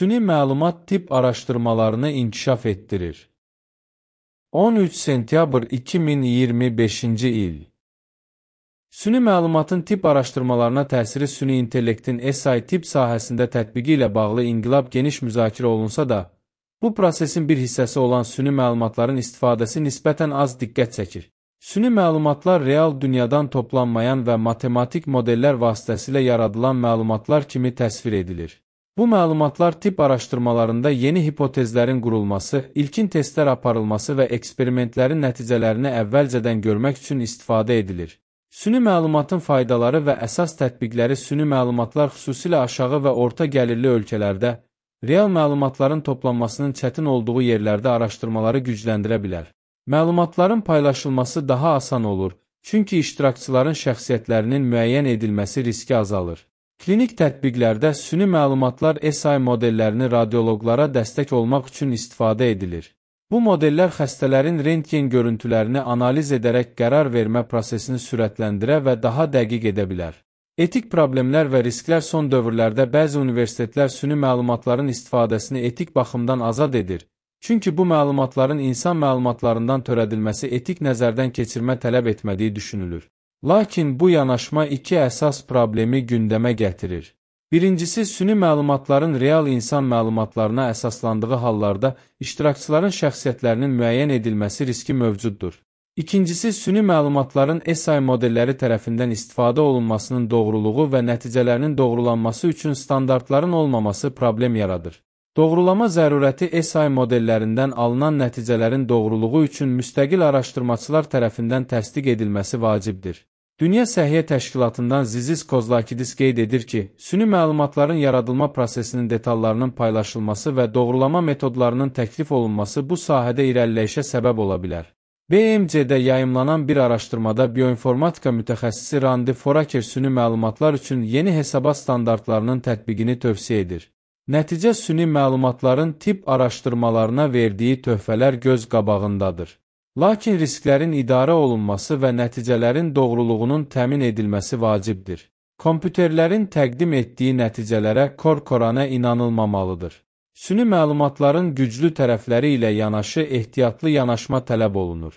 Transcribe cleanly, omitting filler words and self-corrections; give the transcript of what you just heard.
süni məlumat tip araşdırmalarını inkişaf etdirir. 13 sentyabr 2025-ci il. Süni məlumatın tip araşdırmalarına təsiri süni intellektin SI tip sahəsində tətbiqi ilə bağlı inqilab geniş müzakirə olunsa da, bu prosesin bir hissəsi olan süni məlumatların istifadəsi nisbətən az diqqət çəkir. Süni məlumatlar real dünyadan toplanmayan və matematik modellər vasitəsilə yaradılan məlumatlar kimi təsvir edilir. Bu məlumatlar tip araşdırmalarında yeni hipotezlərin qurulması, ilkin testlər aparılması və eksperimentlərin nəticələrini əvvəlcədən görmək üçün istifadə edilir. Süni məlumatın faydaları və əsas tətbiqləri süni məlumatlar xüsusilə aşağı və orta gəlirli ölkələrdə, real məlumatların toplanmasının çətin olduğu yerlərdə araşdırmaları gücləndirə bilər. Məlumatların paylaşılması daha asan olur, çünki iştirakçıların şəxsiyyətlərinin müəyyən edilməsi riski azalır. Klinik tətbiqlərdə süni məlumatlar SI modellərini radioloqlara dəstək olmaq üçün istifadə edilir. Bu modellər xəstələrin rentgen görüntülərini analiz edərək qərar vermə prosesini sürətləndirə və daha dəqiq edə bilər. Etik problemlər və risklər son dövrlərdə bəzi universitetlər süni məlumatların istifadəsini etik baxımdan azad edir. Çünki bu məlumatların insan məlumatlarından törədilməsi etik nəzərdən keçirmə tələb etmədiyi düşünülür. Lakin bu yanaşma iki əsas problemi gündəmə gətirir. Birincisi, süni məlumatların real insan məlumatlarına əsaslandığı hallarda iştirakçıların şəxsiyyətlərinin müəyyən edilməsi riski mövcuddur. İkincisi, süni məlumatların SI modelləri tərəfindən istifadə olunmasının doğruluğu və nəticələrinin doğrulanması üçün standartların olmaması problem yaradır. Doğrulama zərurəti SI modellərindən alınan nəticələrin doğruluğu üçün müstəqil araşdırmaçılar tərəfindən təsdiq edilməsi vacibdir. Dünya Səhiyyə Təşkilatından Zizis Kozlakidis qeyd edir ki, süni məlumatların yaradılma prosesinin detallarının paylaşılması və doğrulama metodlarının təklif olunması bu sahədə irəliləyişə səbəb ola bilər. BMC-də yayımlanan bir araşdırmada bioinformatika mütəxəssisi Randy Foraker süni məlumatlar üçün yeni hesabat standartlarının tətbiqini tövsiyə edir. Nəticə süni məlumatların tip araşdırmalarına verdiyi töhfələr göz qabağındadır. Lakin risklərin idarə olunması və nəticələrin doğruluğunun təmin edilməsi vacibdir. Kompüterlərin təqdim etdiyi nəticələrə kor-koranə inanılmamalıdır. Süni məlumatların güclü tərəfləri ilə yanaşı ehtiyatlı yanaşma tələb olunur.